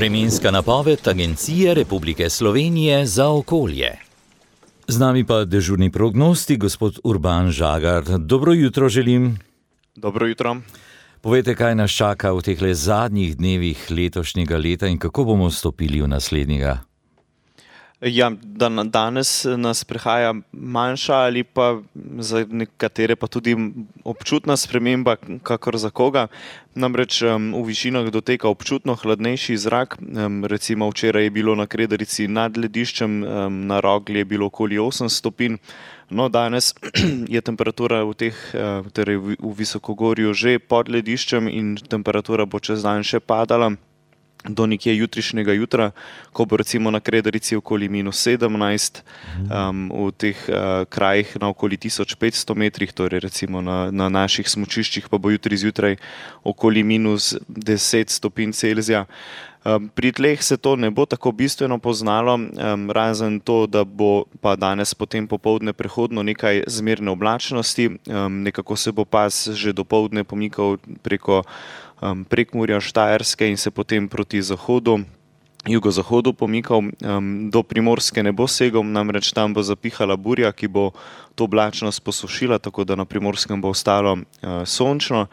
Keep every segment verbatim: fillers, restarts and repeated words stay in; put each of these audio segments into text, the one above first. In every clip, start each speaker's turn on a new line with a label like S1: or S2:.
S1: Vremenska napoved Agencije Republike Slovenije za okolje. Z nami pa dežurni prognostik, gospod Urban Žagar. Dobro jutro želim.
S2: Dobro jutro.
S1: Povejte, kaj nas čaka v tehle zadnjih dnevih letošnjega leta in kako bomo stopili v naslednjega?
S2: Ja, dan, danes nas prehaja manjša ali pa za nekatere pa tudi občutna sprememba, kakor za koga. Namreč um, v višinah doteka občutno hladnejši zrak. Um, recimo včeraj je bilo na Kredarici nad lediščem, um, na Rogli je bilo okoli osem stopinj. No, danes je temperatura v teh, torej v visokogorju že pod lediščem in temperatura bo čez dan še padala do nekje jutrišnjega jutra, ko bo recimo na Kredarici okoli minus sedemnajst, um, v teh uh, krajih na okoli tisoč petsto metrih, torej recimo na, na naših smučiščih pa bo jutri zjutraj okoli minus deset stopinj Celzija. Um, pri tleh se to ne bo tako bistveno poznalo, um, razen to, da bo pa danes potem popoldne prehodno nekaj zmerne oblačnosti, um, nekako se bo pas že dopoldne pomikal preko um, Prekmurja, Štajerske in se potem proti zahodu, jugozahodu pomikal, um, do Primorske ne bo segel, namreč tam bo zapihala burja, ki bo to oblačnost posušila, tako da na Primorskem bo ostalo uh, sončno.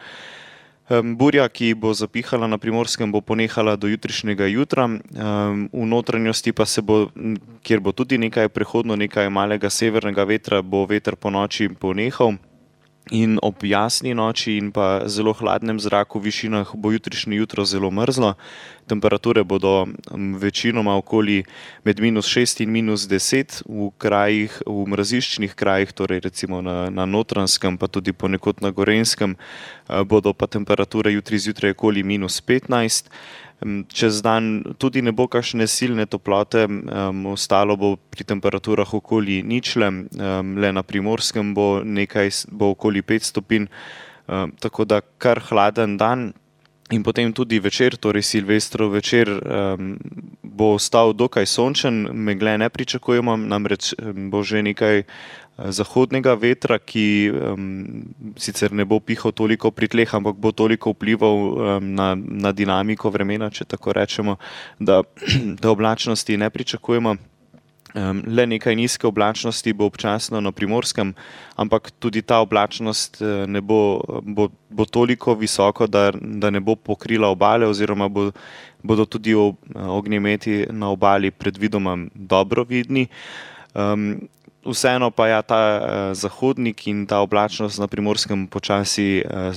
S2: Burja, ki bo zapihala na Primorskem, bo ponehala do jutrišnjega jutra, v notranjosti pa se bo, kjer bo tudi nekaj prehodno, nekaj malega severnega vetra, bo veter po noči ponehal in ob jasni noči in pa zelo hladnem zraku v višinah bo jutrišnje jutro zelo mrzlo. Temperature bodo večinoma okoli med minus šest in minus deset, v krajih, v mraziščnih krajih, torej recimo na, na Notranjskem, pa tudi ponekod na Gorenjskem, bodo pa temperature jutri zjutraj okoli minus petnajst. Čez dan tudi ne bo kakšne silne toplote, um, ostalo bo pri temperaturah okoli ničle, um, le na Primorskem bo nekaj, bo okoli pet stopinj, um, tako da kar hladen dan. In potem tudi večer, torej Silvestrov večer, um, bo ostal dokaj sončen, megle ne pričakujemo, namreč bo že nekaj zahodnega vetra, ki um, sicer ne bo pihal toliko pri tleh, ampak bo toliko vplival um, na, na dinamiko vremena, če tako rečemo, da, da oblačnosti ne pričakujemo. Um, le nekaj nizke oblačnosti bo občasno na Primorskem, ampak tudi ta oblačnost ne bo, bo, bo toliko visoko, da, da ne bo pokrila obale oziroma bo, bodo tudi ognjemeti na obali predvidoma dobro vidni. Um, Vseeno pa ja, ta uh, zahodnik in ta oblačnost na Primorskem počasi uh,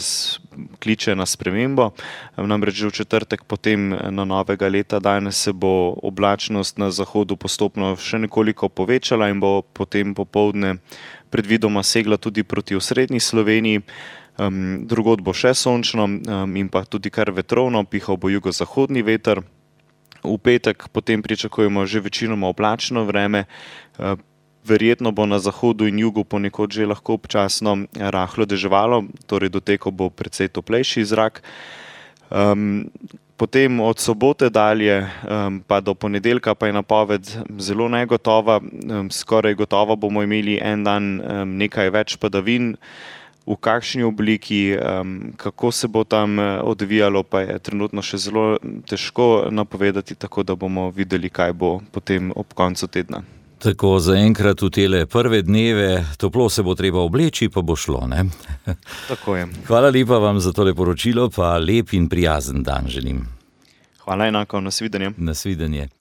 S2: kliče na spremembo. Um, namreč že v četrtek potem na novega leta danes se bo oblačnost na zahodu postopno še nekoliko povečala in bo potem popoldne predvidoma segla tudi proti osrednji Sloveniji. Um, drugod bo še sončno um, in pa tudi kar vetrovno, pihal bo jugozahodni veter. V petek potem pričakujemo že večinoma oblačno vreme. Uh, Verjetno bo na zahodu in jugu ponekod že lahko občasno rahlo deževalo, torej dotekal bo precej toplejši zrak. Um, potem od sobote dalje um, pa do ponedeljka pa je napoved zelo negotova. Um, skoraj gotovo bomo imeli en dan um, nekaj več padavin. V kakšni obliki, um, kako se bo tam odvijalo, pa je trenutno še zelo težko napovedati, tako da bomo videli, kaj bo potem ob koncu tedna.
S1: Tako zaenkrat v tele prve dneve, toplo se bo treba obleči, pa bo šlo, ne?
S2: Tako je.
S1: Hvala lepa vam za tole poročilo, pa lep in prijazen dan želim.
S2: Hvala enako, nasvidenje.
S1: Nasvidenje.